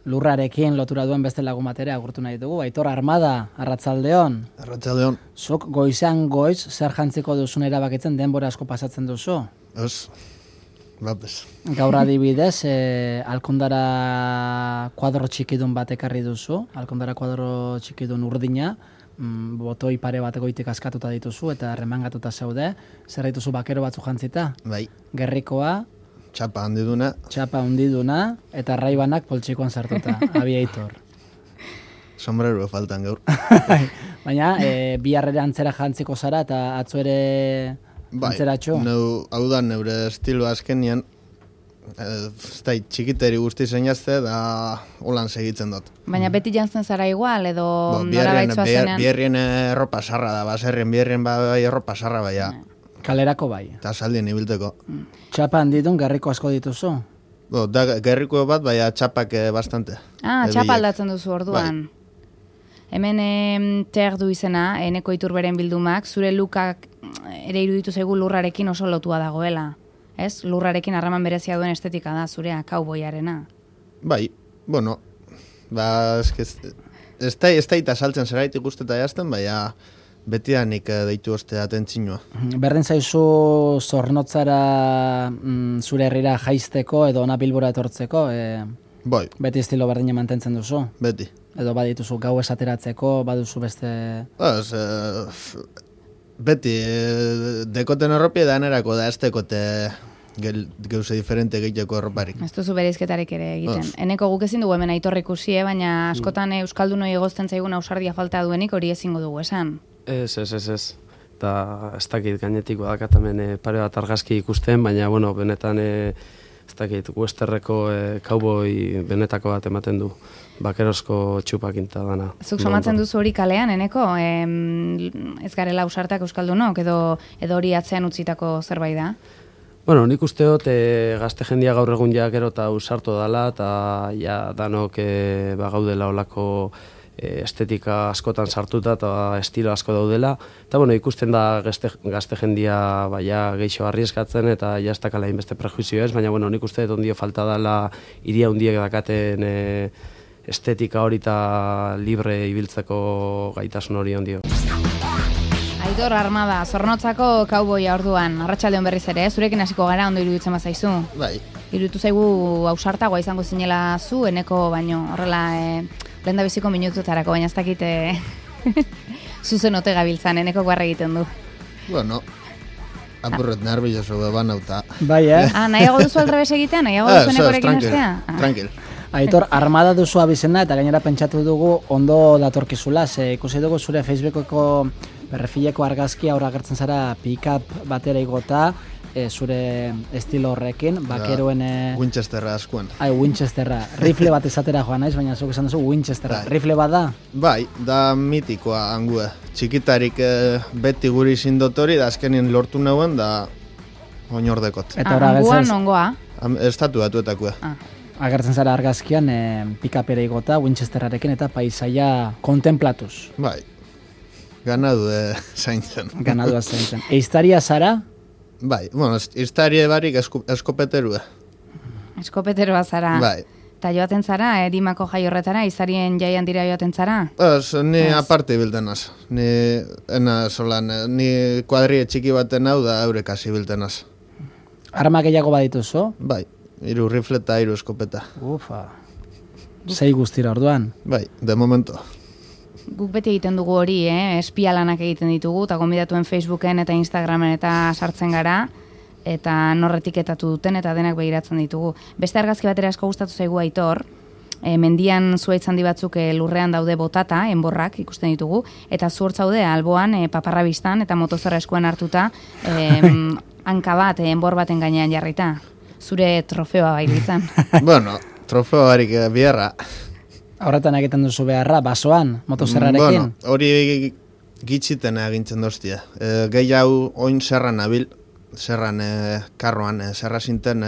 lurrarekin lotura duen beste lagun bat ere agurtu nahi dugu. Aitor Armada, arratsaldeon. Arratsaldeon. Zuk goizean goiz zer jantziko duzun erabakitzen denbora asko pasatzen duzu? Ez, batez. Gaur adibidez, Alkondara kuadro txikidun bat ekarri duzu, Alkondara kuadro txikidun urdina, botoi pare bat goitik askatuta dituzu eta remangatuta zaude, zer dituzu bakero batzu jantzita? Bai. Gerrikoa, Txapa handiduna eta raibanak poltsikoan sartuta, Aviator. Sombrero faltan gaur. Baina, biharrera antzera jantziko zara eta atzo ere antzeratxo? Hau da, neure estilo azkenian, txikiteri guzti zeinazte da holan segitzen dut. Baina beti jantzen zara igual, edo nora baitzua zenean? Bierrien erropa sarra da, baserrien bierrien bai erropa sarra baia. Kalerako bai. Eta saldien ibilteko. Txapa handidun gerriko asko dituzu? Da gerriko bat, baina txapak bastante. Txapa aldatzen duzu orduan. Bai. Hemen du izena, Eneko Iturberen bildumak, zure lukak ere iruditu zaigu lurrarekin oso lotua dagoela. Ez? Lurrarekin harraman berezia duen estetika da, zurea, kauboiarena. Bai, bueno, ez da saltzen zeraitik usteta jazten, baina betianik deitu oste atentzinua. Berdin zaizu zornotzara zure herrira jaisteko edo ona Bilbora etortzeko? Bai. Beti estilo berdina mantentzen duzu? Beti. Edo badituzu gau esateratzeko, baduzu beste... Beti, dekoten erropi da enerako da ez dekote gauze diferente egiteko erroparik. Ez duzu bereizketarik ere egiten. Eneko guk ezin dugu hemen Aitor ikusi, baina askotan euskaldunoi egozten zaigun ausardia falta duenik hori ezingo dugu esan. Ez. Eta ez dakit gainetik badakat hemen pare bat argazki ikusten, baina bueno, benetan ez dakit westerreko kauboi benetako bat ematen du. Bakerozko txupakinta dana. Zuk somatzen duzu hori kalean, Eneko? Ez garela ausartak euskaldunok edo hori atzean utzitako zerbait da? Bueno, nik uste dut gazte jendia gaur egun ja gero eta ausartu dala eta ja danok gaudela olako estetika askotan sartuta eta estilo asko daudela. Eta bueno, ikusten da gazte jendia geixo arrieskatzen eta ja ez dakala inbeste prejuizio ez, baina bueno, nik uste dut ondio falta dala iria hundiek dakaten estetika hori eta libre ibiltzeko gaitasun hori ondio. Aitor Armada, Zornotzako kauboia orduan, arratsaldeon berriz ere, zurekin hasiko gara ondo iruditzen bazaizu. Bai. Iruditu zaigu ausartagoa izango zinela zu, Eneko, baino horrela lehendabiziko minututarako, baina ez dakit zuzen ote gabiltzan, Eneko guarra egiten du. Bueno, apurret nervioso bebanauta. Bai, nahiago duzu aldrebes egitea, nahiago duzu Enekorekin hastea? Tranquil. Aitor, Armada duzu abizena eta gainera pentsatu dugu ondo datorkizula, ikusi dugu zure Facebookeko berrefileko argazkia aurra agertzen zara pick-up batera igota, zure estilo horrekin, bakeroen... Winchesterra askuen. Winchesterra. Rifle bat esatera joan naiz, baina zuk esan duzu Winchesterra. Rifle bat da? Bai, da mitikoa angue. Txikitarik beti guri zindotori, da azkenien lortu nauen, da oinordekot. Anguan ongoa? Estatu batuetakoa. Agertzen zara argazkian pick-upera igota, Winchesterrarekin eta paisaia kontemplatuz. Bai, ganadu zaintzen. Ganadua zaintzen. Eiztaria zara? Bai, bueno, iztaria barik eskopeterua. Eskopeterua zara? Bai. Eta joaten zara, Dimako jai horretara, izarien jaian dira joaten zara? Ni aparte biltenaz. Ni kuadrie txiki baten hau da eurekasi biltenaz. Arma gehiago badituzu? Bai, 3 rifle eta 3 eskopeta. Ufa. 6 guztira orduan? Bai, de momento. Guk beti egiten dugu hori, espia lanak egiten ditugu, eta gonbidatuen Facebooken eta Instagramen eta sartzen gara, eta norretiketatu duten eta denak begiratzen ditugu. Beste argazki batera asko gustatu zaigu Aitor, mendian zuaitz handi batzuk lurrean daude botata, enborrak ikusten ditugu, eta zu hortzaude alboan paparra biztan eta motozerra eskuan hartuta hanka bat enbor baten gainean jarrita. Zure trofeoa bailitzan. Bueno, trofeoa barik biharra. Horretan egiten duzu beharra, basoan, motozerrarekin? Bueno, hori gitxiten egintzen doztia. Gehi hau oin zerran nabil, zerran karroan, zerra zinten,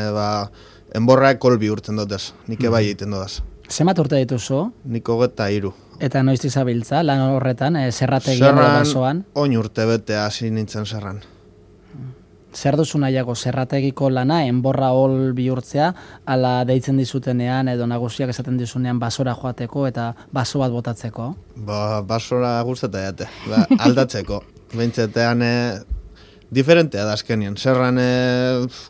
enborra kolbi urten dutez, nik bai egiten dudaz. Zemat urte dituzu? Nik 23. Eta noiztik zabiltza, lan horretan, zerrategian edo basoan? Oin urte bete hasi nintzen zerran. Zer duzu nahiago, zerrategiko lana, enborra hol bihurtzea, ala deitzen dizutenean edo nagusiak esaten dizunean basora joateko eta baso bat botatzeko? Basora guzteta jate, aldatzeko. Bentsetean diferentea da azkenien. Zerran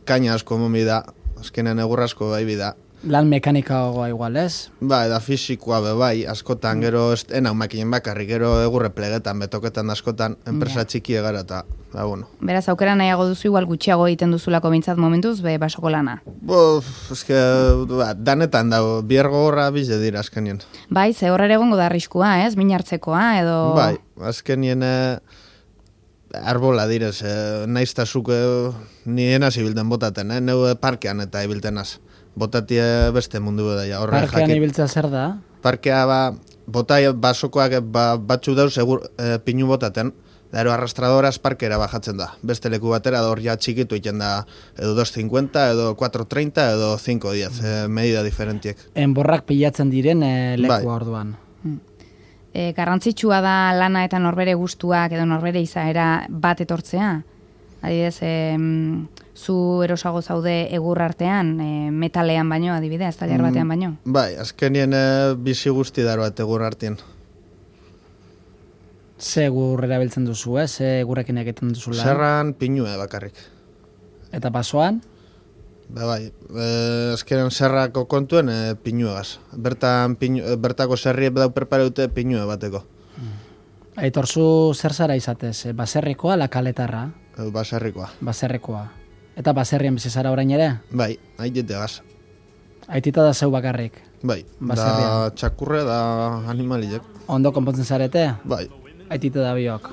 kaina asko momi da, azkenean egur asko bai bida. Lan mekanikagoa igual, ez? Eta fisikoa bai, askotan, gero enau makinen bakarrik, gero egurre plegetan, betoketan askotan, enpresa txiki egara eta, bueno. Beraz, aukera nahiago duzu, igual gutxiago egiten duzulako bintzat momentuz, basoko lana. Danetan dago, biergo horra bize dira azkenien. Bai, ze horre egongo da arriskua, ez? Min hartzekoa, edo... Bai, azkenien arbola direz, naiztazuk nien hasi bilten botaten, neu parkean eta ibiltenaz. Botatie beste mundu da ja. Parkean ibiltzea zer da? Parkea botai basokoak batzu dauz pinu botaten, ero arrastradoraz parkera bajatzen da. Beste leku batera hor ja txikitu iten da edo 2.50, edo 4.30, edo 5.10, medida diferentiek. Enborrak pilatzen diren leku orduan. Garrantzitsua da lana eta norbere gustuak edo norbere izaera bat etortzea? Adibidez, zu erosago zaude egur artean, metalean baino, adibidez, tailer batean baino? Bai, azkenien bizi guzti daro bat egur artean. Ze egur erabiltzen duzu, ze egurrekin egiten duzu lan? Zerran pinue bakarrik. Eta pasoan? Bai, azkenean zerrako kontuen pinuegaz. Bertako zerriek dau perpareute pinue bateko. Aitorzu zer zara izatez, baserrikoa ala kaletarra? Baserrikoa. Eta baserrien bizi zara orain ere? Bai, aitite gaz. Aitita da zeu bakarrik? Bai, da txakurre da animaliek. Ondo konpontzen zarete? Bai. Aitite da biok?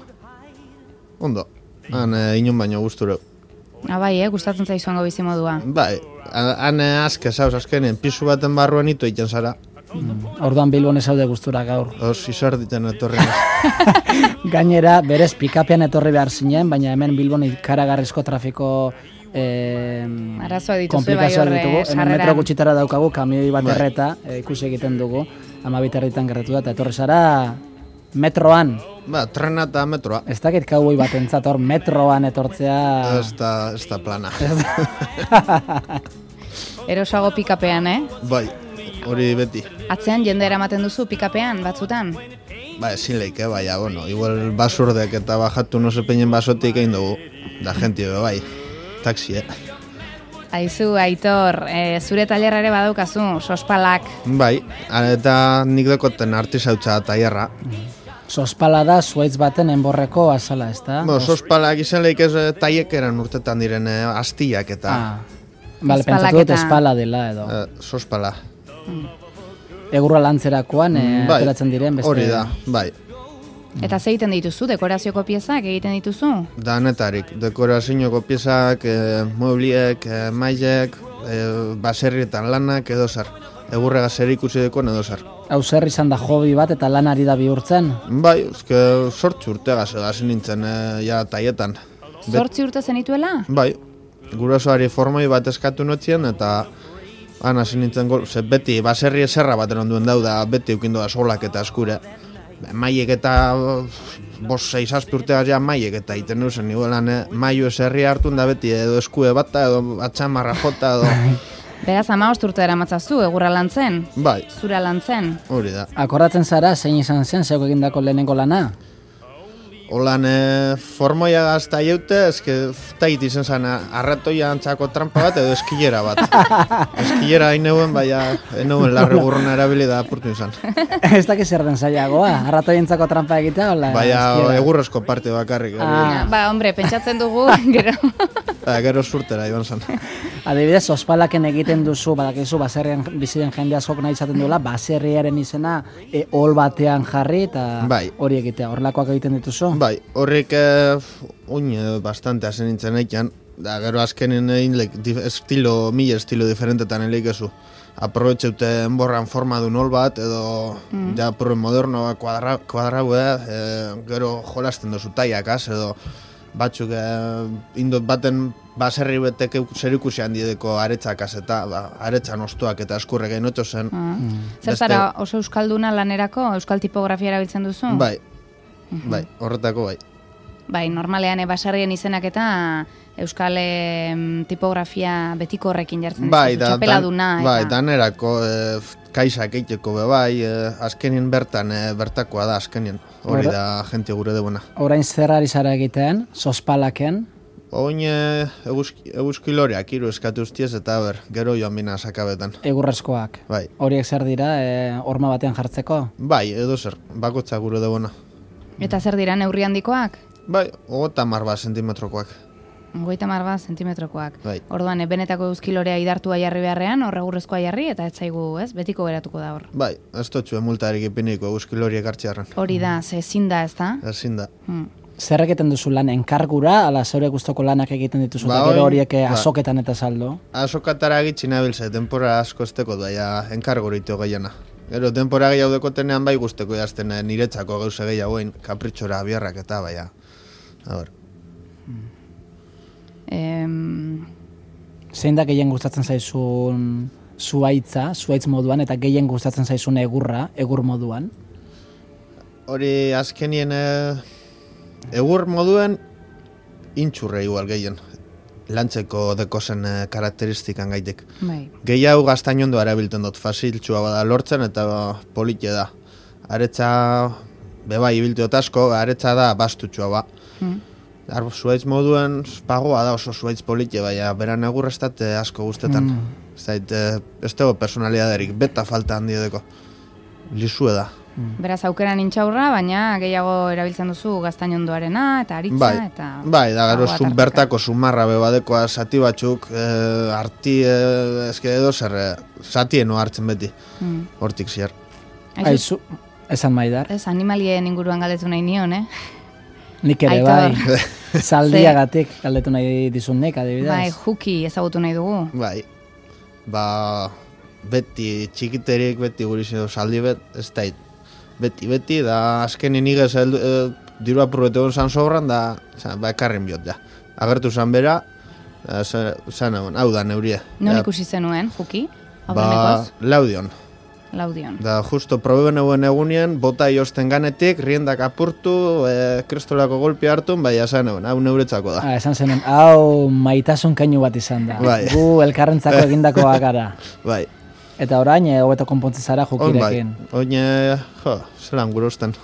Ondo, han inon baino gusture. Bai, gustatzen zaizuango bizimodua. Bai, han azke zauz azkenien, pisu baten barruan ito iten zara. Orduan Bilbon ezaude gustura gaur. Izar diten etorri. Gainera, berez pikapean etorri behar zinen, baina hemen Bilbon ikaragarrizko trafiko komplikazioak ditugu. Hemen metro gutxitara daukagu, kamioi bat erreta, ikusi egiten dugu, 12 herritan gerratu da, eta etorri zara metroan. Trena eta metroa. Ez dakit kauboi bat entzat hor metroan etortzea... Ez da plana. Erosago pikapean, Bai. Hori beti. Atzean jende eramaten duzu pikapean batzutan? Ezin leike, bueno, igual basurdek eta bajatu no sepeinen basotik egin dugu. Da gente bai, taxi, Aizu, Aitor, zure tailerra ere badaukazu, sospalak. Bai, eta nik dekoten artisautza tailerra. Sospala da zuaitz baten enborreko azala, ez da? Sospalak izan leik ez taiek eran urtetan diren astiak eta... Bale, pentsatu dut espala dela edo. Sospala. Egurra lantzerakoan ateratzen diren beste... Hori da, bai. Eta ze egiten dituzu, dekorazioko piezak egiten dituzu? Danetarik, dekorazioko piezak, muebliek, mailek, baserrietan lanak edo zer. Egurrega zer ikusi dekoen edo zer. Hau zer izan da hobi bat eta lanari da bihurtzen? Bai, sortzi urtegaz egazin nintzen ja taietan. Sortzi urte zenituela? Bai, gurasoari formoi bat eskatu notzien eta han hasi nintzen beti baserri eserra baten onduen dauda, beti eukindu da solak eta eskure. Maiek eta 5-6 urteaz ja maiek eta iten nuzen niguelan maio eserria hartun da beti edo eskue bata edo atxamarra jota edo... Beraz, 15 urte eramatzazu, egurra lantzen? Bai. Zura lantzen? Hori da. Akordatzen zara, zein izan zen, zeuk egindako lehenengo lana? Holan formoia gazta jaute, tait izan zen arratoia antzako trampa bat edo eskilera bat. Eskilera hain neuen, baina larre burruna erabili da apurtu izan. Ez dakiz zer den zailagoa, arratoia antzako trampa egitea, hola? Baina egurrezko parte bakarrik. Hombre, pentsatzen dugu, gero. Gero surtera, iban zen. Adibidez, ospalaken egiten duzu, badakizu, baserrian biziren jende askok nahi izaten duela, baserriaren izena hol batean jarri eta hori egitea, horrelakoak egiten dituzu? Bai, horrik bastante hasen nintzen eikan, da gero azkenen mila estilo diferentetan eleikezu. Aprobetxeute enborran forma duen hol bat, edo ja purren moderno kuadraue, gero jolasten duzu taiakaz, edo batzuk indot baten baserri betek zer ikusi handideko aretzakaz eta aretzan ostuak eta eskurre gainotxo zen. Zer zara oso euskalduna lanerako, euskal tipografia erabiltzen duzu? Bai, horretako bai. Bai, normalean basarrien izenak eta euskal tipografia betiko horrekin jartzen Bai, dizu, txapeladuna. Bai, danerako kaisak eiteko bai, azkenien bertan, bertakoa da azkenien. Hori da jente gure debuna. Orain zer ari zara egiten, sospalaken? Oin eguzkiloreak hiru eskatu ustiez eta gero joan bina sakabetan. Egurrezkoak. Bai. Horiek zer dira, horma batean jartzeko? Bai, edo zer, bakotza gure debuna. Eta zer dira, neurri handikoak? Bai, 30 sentimetrokoak. 30 sentimetrokoak. Bai. Orduan, benetako euskilorea idartua jarri beharrean, horregurrezkoa jarri, eta ez zaigu, ez? Betiko geratuko da hor. Bai, ez totxu emultarik ipiniko euskiloriek hartxarran. Hori da, ze ezin da, ez da? Ezin da. Zer egiten duzu lan, enkargura, ala zeure guztoko lanak egiten dituzu, eta gero horiek azoketan eta saldo? Azokatara egitzi nabilze, denpora asko esteko daia enkargurito gehiena. Gero, denpora gehiago dekotenean bai guzteko jazten niretzako gauze gehiagoen, kapritxora biarrak eta baia. Zein da gehien gustatzen zaizun zuaitz moduan, eta gehien gustatzen zaizun egur moduan? Hori azkenien egur moduen intxurre igual gehien. Lantzeko dekozen karakteristikan gaitek. Bai. Gehiago gaztainondo erabiltzen dut, fasiltxua bada lortzen eta polite da. Aretza, bebai ibiltu asko, aretza da bastutxua ba. Zuaitz moduen pagoa da oso zuaitz polite, baina beran egurrestat asko guztetan. Ez dago personalidaderik, beta falta handiedeko. Lizue da. Beraz, aukeran intxaurra, baina gehiago erabiltzen duzu gaztainondoarena eta aritza. Bai, da gero bertako sumarra bebadekoa zati batzuk, arti, ezke edo zer, zatieno hartzen beti, hortik ziar. Aizu, esan Maidar. Ez, animalien inguruan galdetu nahi nion, Nik ere bai, zaldiagatik galdetu nahi dizun nik, adibidez. Bai, juki ezagutu nahi dugu. Bai, beti txikiterik, beti guriz zaldi ez da beti, da azkenin igez diru apurrete hon zan sobran, da ekarren biot, ja. Agertu zan bera, zan egon, hau da neurie. Non ikusi zenuen, juki? Laudion. Da justo probeben eguen egunien, bota iosten ganetik, riendak apurtu, kristolako golpi hartu, bai esan egon, hau neuretzako da. Esan zenuen, hau maitasun keinu bat izan da. Bai. Gu elkarrentzako egindakoa gara. Bai. Eta orain, hobeto konpontzen zara jukirekin. Oin, zelan gurosten.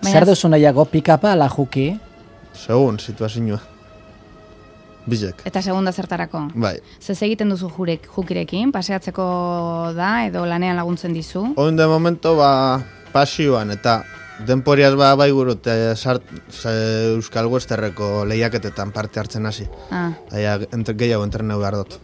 Zer duzu nahiago, pikapa ala juki? Segun, situazioa. Bizek. Eta segunda zertarako? Bai. Zez egiten duzu jukirekin, paseatzeko da, edo lanean laguntzen dizu? Oin de momento, pasioan, eta denporiaz bai gurut, Euskal Westerreko lehiaketetan parte hartzen hasi. Gehiago entreneu behar dut.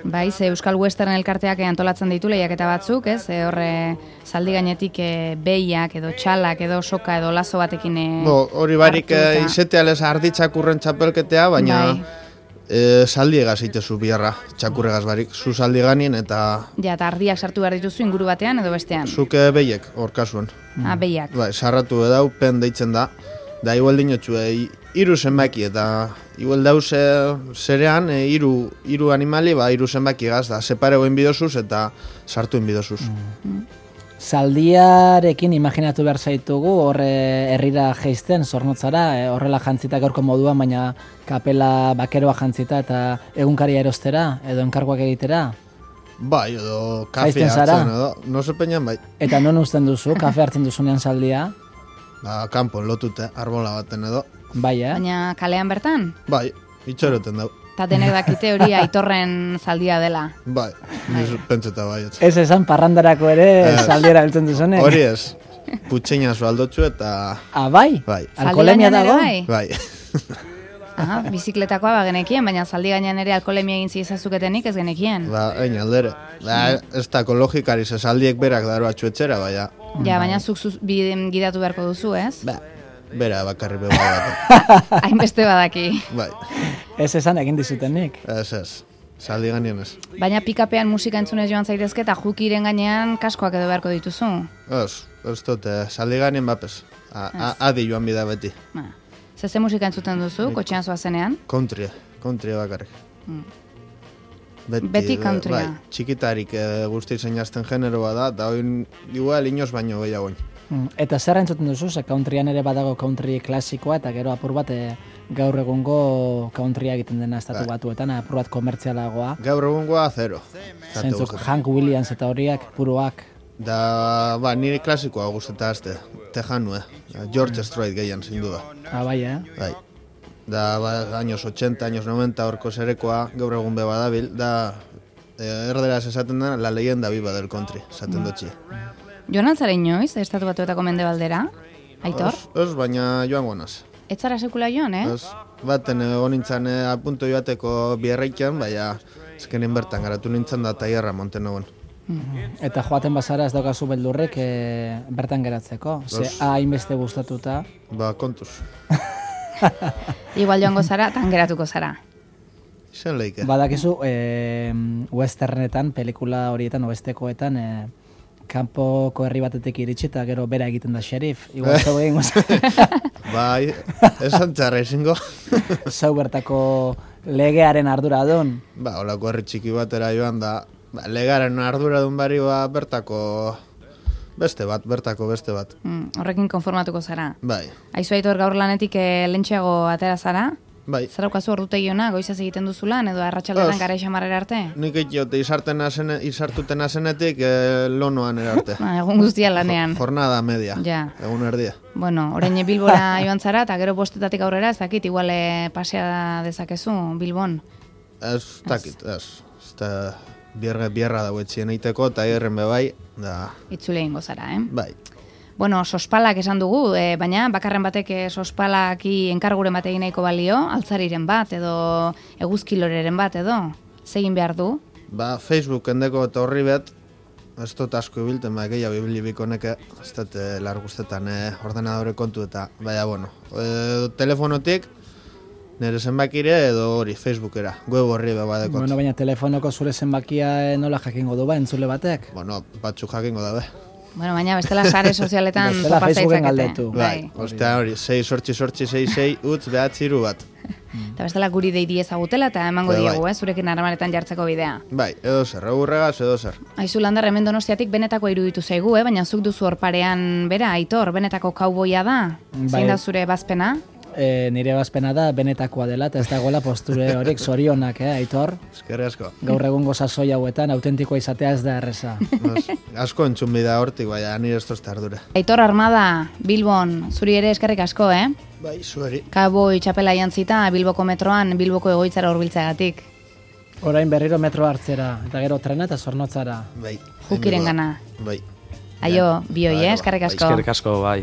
Bai, ze Euskal Western elkarteak antolatzen ditu lehiaketa batzuk, ez? Horre zaldi gainetik behiak edo txalak edo soka edo lazo batekin hori barik izetealez arditzakurren txapelketea, baina zaldiegaz itezu biharra, txakurregaz barik, zu zaldi ganien eta... Ja, eta ardiak sartu behar dituzu inguru batean edo bestean? Zuke behiek, hor kasuen. Behiak. Bai, sarratu edau, pen deitzen da, da igual dinotxu, hiru zenbaki eta igual dauz zerean, hiru animali, hiru zenbaki gaz, da separegoen bidozuz eta sartu bidozuz. Zaldiarekin imaginatu behar zaitugu, horre herrira geizten, zornotzara, horrela jantzita gaurko moduan, baina kapela bakeroa jantzita eta egunkaria erostera, edo enkarguak egitera? Bai, edo kafe hartzen, edo, no zepenean bai. Eta non usten duzu, kafe hartzen duzunean zaldia? Kanpon lotute, arbola baten edo. Bai, Baina kalean bertan? Bai, itxoroten dau. Eta denek dakite hori Aitorren zaldia dela. Bai, pentseta bai. Ez esan parrandarako ere zaldiera biltzen duzunek? Hori ez, putxeina zu aldotxu eta... Bai? Bai. Alkoholemia dago? Bai. Bizikletakoa genekien, baina zaldi gainean ere alkoholemia egin zizazuketenik ez genekien. Egin aldere. Ez da ekologikari zaldiek berak daro atxuetxera, baina... Ja, baina zuk gidatu beharko duzu, ez? Bera bakarri beba bat. Hainbeste badaki. Bai. Ez esan egin dizutenik. Ez. Zaldi ganean ez. Baina pikapean musika entzunez joan zaitezke eta jukiren gainean kaskoak edo beharko dituzu? Ez dut, zaldi ganean bapez. Adi joan bida beti. Ze musika entzuten duzu, kotxean zoazenean? Country bakarrik. Beti countrya. Txikitarik guzti zein jazten generoa da, eta hori igual inoz baino gehiagoin. Eta zer entzuten duzu, ze countryan ere badago country klasikoa, eta gero apur bat gaur egungo countrya egiten dena estatu batuetan, apur bat komertzialagoa. Gaur egungoa zero. Zentzuk Hank Williams eta horiak, puruak. Da, nire klasikoa guztetan azte, Tejanu, George Strait gehien, sin duda. Bai, Bai. Da, años 80, años 90, horko zerekoa, gaur egun beba dabil, da, erderaz esaten da, la leyenda viva del country, esaten dutxi. Joan altzara inoiz, estatu batuetako mendebaldera, Aitor? Ez, baina joan gonaz. Ez zara sekula joan, Ez, baten honintzan apunto joateko bierreiken, baina ezkenin bertan garatu nintzen da taierra monten egon. Eta joaten bazara ez daukazu beldurrek bertan geratzeko, ze hainbeste gustatuta. Kontuz. Igual joango zara, tan geratuko zara. Izan leike. Badakizu, westernetan, pelikula horietan, oestekoetan, kanpoko herri batetik iritsi eta gero bera egiten da xerif. Igual zau egin Bai, esan txarra izango. Zau bertako legearen arduradun. Holako herri txiki batera joan da, legearen arduradun bari bertako bertako beste bat. Horrekin konformatuko zara. Bai. Aizu Aitor, gaur lanetik lentxeago atera zara? Bai. Zer daukazu ordutegiona, goizaz egiten duzu lan, edo arratsaldetan gara xamarrera arte? Nik egite izartuten azenetik lonoan erarte. Egun guztia lanean. Jornada media, ja. Egun erdia. Bueno, orain Bilbora joan zara, eta gero bostetatik aurrera, ez dakit, igual pasea dezakezu, Bilbon? Ez dakit, ez. Bierra dago etxien eiteko, eta erren bebai, da... Itzule ingo zara, Bai. Bueno, sospalak esan dugu, baina bakarren batek sospalaki enkarguren bat egin nahiko balio, altzariren bat, edo eguzkiloreren bat, edo, zegin behar du? Facebook endeko eta horri bet, ez dut asko ibilten, gehiago ibilibiko neke, ez dut larguztetan ordenadore kontu eta, bueno, telefonotik, nire zenbakire edo hori, Facebookera, web horri bebadekot. Bueno, baina telefonoko zure zenbakia nola jakingo du entzule batek? Bueno, batzuk jakingo dabe. Bueno, baina bestela sare sozialetan bestela Facebooken galdetu. Bai, ostea hori, 6 utz behatziru bat. Eta bestela guri deidi ezagutela eta emango diegu, zurekin harremanetan jartzeko bidea. Bai, edo zer, egurregaz, edo zer. Aizu Landar, hemen Donostiatik benetako iruditu zaigu, baina zuk duzu horparean bera, Aitor, benetako kauboia da? Zein da zure bazpena? Nire bazpena da benetakoa dela, eta ez dagoela posture horiek zorionak, Aitor? Eskerri asko. Gaur egungo sasoi hauetan, autentikoa izatea ez da erreza. Asko entzun bida hortik, baina nire ez tozta ardura. Aitor Armada, Bilbon, zuri ere eskerrik asko, Bai, zueri. Kaboi txapela jantzita, Bilboko metroan, Bilboko egoitzara hurbiltzeagatik. Orain berriro metro hartzera, eta gero trena eta zornotzara. Bai. Jukiren gana. Bai. Aio, bioi, eskerrik asko. Eskerrik asko, bai.